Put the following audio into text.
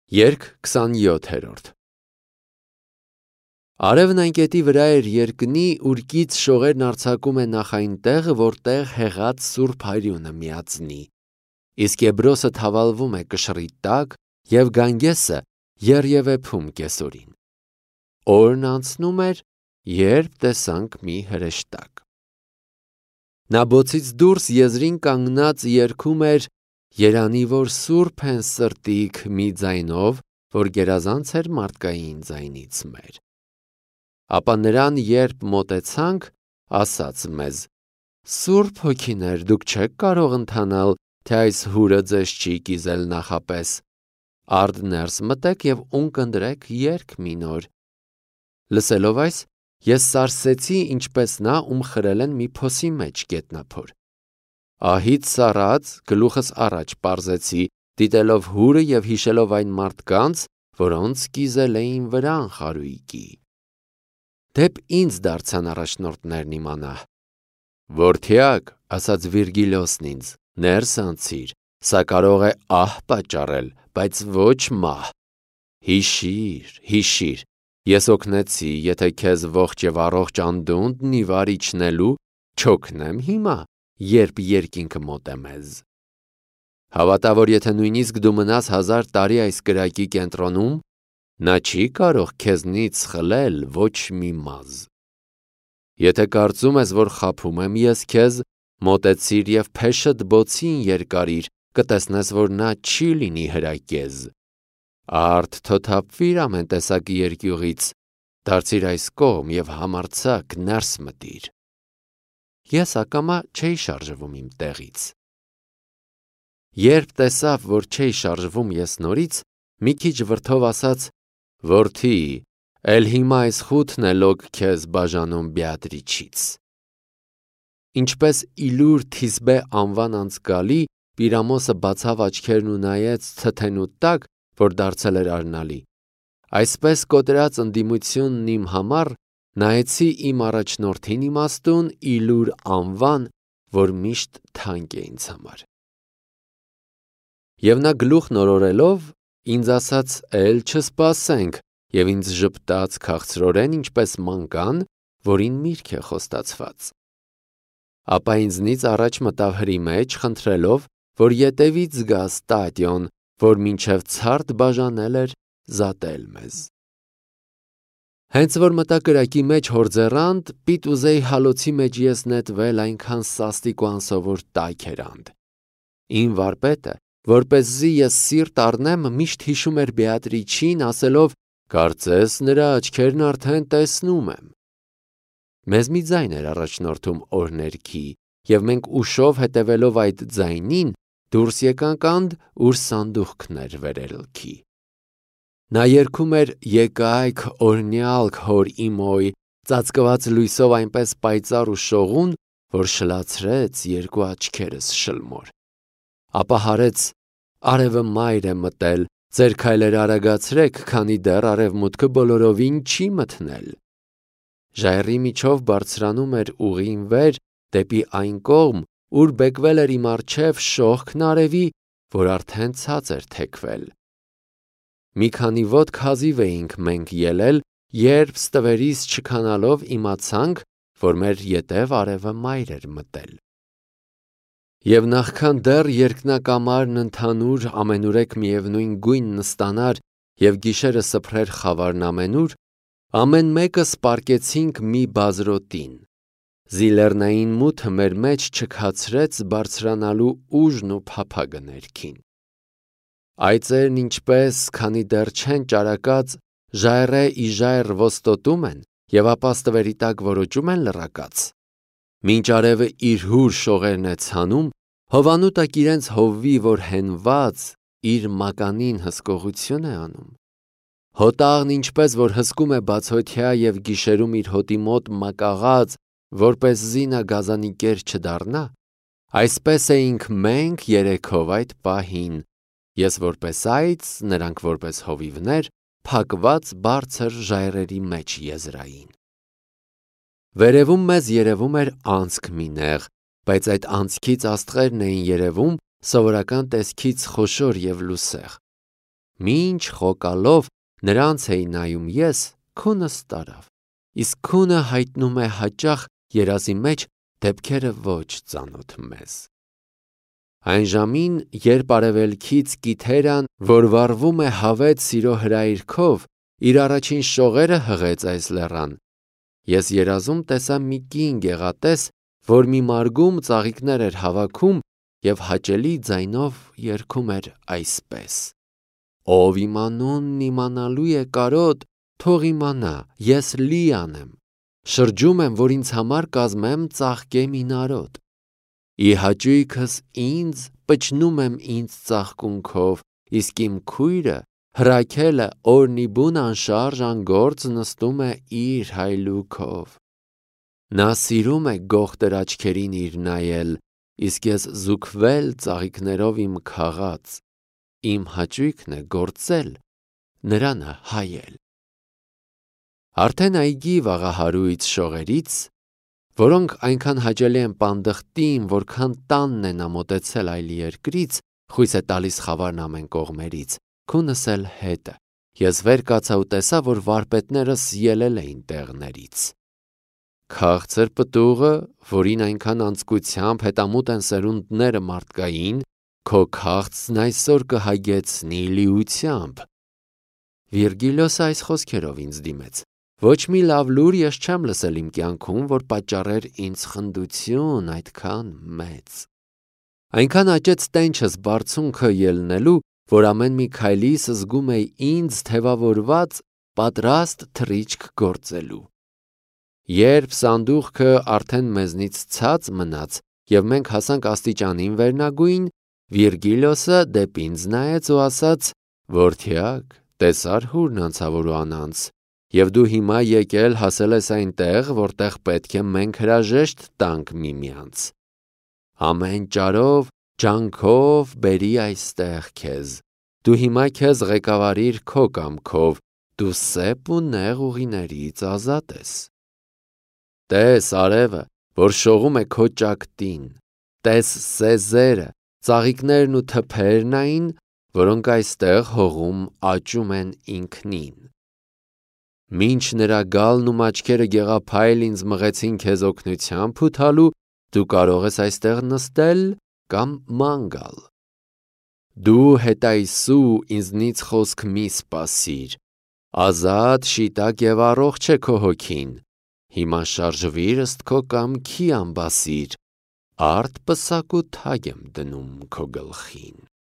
Երգ 27-րդ Արևն այն կետի վրա էր երկնի, ուր կից շողերն արձակում է նախ այն տեղը, որտեղ հեղած Սուրբ Հայրյունը միածնի, իսկ Եբրոսը թավալվում է կշռի տակ և Գանգեսը եռևեփում կեսօրին։ Օրն անցնում էր, երբ տեսանք մի հրեշտակ։ Նա բոցից դուրս եզրին կանգնած երգում էր «Երանի որ սուրբ են սրտիք» մի ձայնով, որ գերազանց էր մարդկային ձայնից մեր։ Ապա նրան երբ մոտեցանք, ասաց մեզ. «Սուրբ հոգիներ, դուք չեք կարող ընթանալ, թե այս հուրը ձեզ չի կիզել նախապես։ Արդ ներս մտեք և ունկ ընտրեք երգ մի նոր»։ Լսելով այս, ես սարսեցի, ինչպես նա, ում խրել են մի փոսի մեջ գետնափոր։ Ահից սառած, գլուխս առաջ պարզեցի, դիտելով հուրը և հիշելով այն մարդկանց, որոնց կիզել էին վրան խարույկի։ Դեպ ինձ դարձան առաջնորդներն իմանա։ «Որդյակ», ասաց Վիրգիլիոսն ինձ, «ներս անցիր, սա կարող է ահ պատճառել, բայց ոչ մահ։ Հիշիր, հիշիր, ես օգնեցի, եթե քեզ ողջ և առողջ անդունդն ի վար իջնելու, չօգնեմ հիմա, երբ երկինքը մոտ է մեզ։ Հավատա, որ եթե նույնիսկ դու մնաս 1000 տարի այս կրակի կենտրոնում, նա չի կարող քեզնից խլել ոչ մի մազ։ Եթե կարծում ես, որ խաբում եմ ես քեզ, մոտեցիր և փեշդ բոցին երկարիր, կտեսնես, որ նա չի լինի հրակեզ։ Արդ թոթափվիր ամեն տեսակի երկյուղից, դարձիր այս կողմ և համարձակ ներս մտիր։ Ես ակամա չէի շարժվում իմ տեղից։ Երբ տեսավ, որ չէի շարժվում ես նորից, մի քիչ վրդով ասաց. «Որդի, էլ հիմա այս խութն է լոկ քեզ բաժանում Բեատրիչից»։ Ինչպես Իլուր Թիսբե անվան անցկալի, Պիրամոսը բացավ աչքերն ու նայեց թթենու տակ, որ դարձել էր արնալի, այսպես կոտրած ընդդիմությունն իմ համար նայեցի իմ առաջնորդին իմաստուն Իլուր անվան, որ միշտ թանկ է ինձ համար։ Եվ նա գլուխ նորորելով, ինձ ասաց. «Էլ չսպասենք», և ինձ ժպտաց քաղցրորեն, ինչպես մանկան, որին միրգ է խոստացված։ Ապա ինձնից առաջ մտավ հրի մեջ, խնդրելով, որ ետևից գա Ստատիոն, որ մինչև ցարդ բաժանել էր զատել մեզ։ Հենց որ մտա կրակի մեջ հորձեռանդ, պիտ ուզեի հալոցի մեջ ես նետվել, այնքան սաստիկ ու անսովոր տաք էր անդ։ Իմ վարպետը, որպեսզի ես սիրտ առնեմ, միշտ հիշում էր Բեատրիչին, ասելով. «Կարծես նրա աչքերն արդեն տեսնում եմ»։ Մեզ մի ձայն էր առաջնորդում օրհներքի, և մենք ուշով հետևելով այդ ձայնին, դուրս եկանք անդ, ուր սանդուղքն էր վերելքի։ Նա երգում էր «Եկայք օրհնյալք հոր իմոյ», ծածկված լույսով այնպես պայծառ ու շողուն, որ շլացրեց երկու աչքերս շլմոր։ Ապա հարեց. «Արևը մայր է մտել, ձեր քայլերը արագացրեք, քանի դեռ արևմուտքը բոլորովին չի մթնել»։ Ժայռի միջով բարձրանում էր ուղին վեր, դեպի այն կողմ, ուր բեկվել էր իմ առջև շողքն արևի, որ արդեն ցած էր թեքվել։ Մի քանի ոտք հազիվ էինք մենք ելել, երբ ստվերից չքանալով իմացանք, որ մեր ետև արևը մայր էր մտել։ Եվ նախքան դեռ երկնակամարն ընդհանուր ամենուրեք միևնույն գույնն ստանար և գիշերը սփռեր խավարն ամենուր, ամեն մեկս պառկեցինք մի բազրոտին։ Զիլեռնային մութը մեր մեջ չքացրեց բարձրանալու ուժն ու փափագը ներքին։ Այծերն ինչպես, քանի դեռ չեն ճարակած, ժայռե ի ժայռ ոստոտում են, և ապա ստվերի տակ որոճում են լռակած։ Մինչ արևը իր հուր շողերն է ցանում, հովանու տակ իրենց հովվի, որ հենված, իր մականին հսկողություն է անում։ Հոտաղն ինչպես որ հսկում է բացօթյա և գիշերում իր հոտի մոտ մակաղած, որպեսզի նա գազանի կեր չդառնա, այսպես էինք մենք երեքով այդ պահին, ես որպես այծ, նրանք որպես հովիվներ, փակված բարձր ժայռերի մեջ եզրային։ Վերևում մեզ երևում էր անցք մի նեղ, բայց այդ անցքից աստղերն էին երևում, սովորական տեսքից խոշոր և լուսեղ։ Մինչ խոկալով նրանց էի նայում ես, քունս տարավ, իսկ քունը հայտնում է հաճախ երազի մեջ դեպքերը ոչ ծանոթ մեզ։ Այն ժամին, երբ արևելքից Կիթերան, որ վառվում է հավետ սիրո հրայրքով, իր առաջին շողերը հղեց այս լեռան, ես երազում տեսա մի կին գեղատես, որ մի մարգում ծաղիկներ էր հավաքում և հաճելի ձայնով երգում էր այսպես. «Ով իմ անունն իմանալու է կարոտ, թող իմանա, ես լի անեմ, շրջում եմ, որ ինձ համար կազմեմ ծաղկեմ ինարոտ, ի հաճույքս ինձ պչնում եմ ինձ ծաղկունքով, իսկ իմ քույրը հրաքելը օրնիբուն անշարժ անգործ նստում է իր հայլուքով։ Նա սիրում է գողտր աչքերին իր նայել, իսկ ես զուգվել ծաղիկներով իմ քաղած, իմ հաճույքն է գործել, նրանը հայել»։ Արդեն այգի վաղահարույց շողերից, որոնք այնքան հաճելի են պանդխտին, որքան տանն է նա մոտեցել այլ երկրից, խույս է տալիս խավարն ամեն կողմերից, քունս էլ հետը, ես վեր կացա ու տեսա, որ վարպետներս ելել էին տեղներից։ Քաղցր պտուղը, որին այնքան անձկությամբ հետամուտ են սերունդները մարդկային, քո քաղցն այսօր կհագեցնի լիությամբ։ Վիրգիլիոսը այս խոսքերով ինձ դիմեց. ոչ մի լավ լուր ես չեմ լսել իմ կյանքում, որ պատճառեր ինձ խնդություն այդքան մեծ։ Այնքան աճեց տենչս բարձունքը ելնելու, որ ամեն մի քայլիս զգում էի ինձ թևավորված, պատրաստ թռիչք գործելու։ Երբ սանդուղքը արդեն մեզնից ցած մնաց և մենք հասանք աստիճանին վերնագույն, Վիրգիլիոսը դեպ ինձ նայեց ու ասաց. «Որդյակ, տեսար հուրն անցավոր ու անանց, և դու հիմա եկել հասել ես այնտեղ, որտեղ պետք է մենք հրաժեշտ տանք միմյանց։ Ամեն ճարով, ջանքով բերի այստեղ քեզ, դու հիմա քեզ ղեկավարիր քո կամքով, դու սեփ ու նեղ ուղիներից ազատ ես։ Տես արևը, որ շողում է քո ճակտին, տես սեզերը, ծաղիկներն ու թփերն այն, որոնք այստեղ հողում աճում են ինքնին։ Մինչ նրա գալն ու մաչքերը գեղափայլ ինձ մղեցին քեզ օգնության փութալու, դու կարող ես այստեղ նստել կամ ման գալ։ Դու հետայսու ինձնից խոսք մի սպասիր, ազատ, շիտակ և առողջ է քո հոգին, հիմա շարժվիր ըստ քո կամքի ամբասիր, արդ պսակ ու թագ եմ դնում քո գլխին»։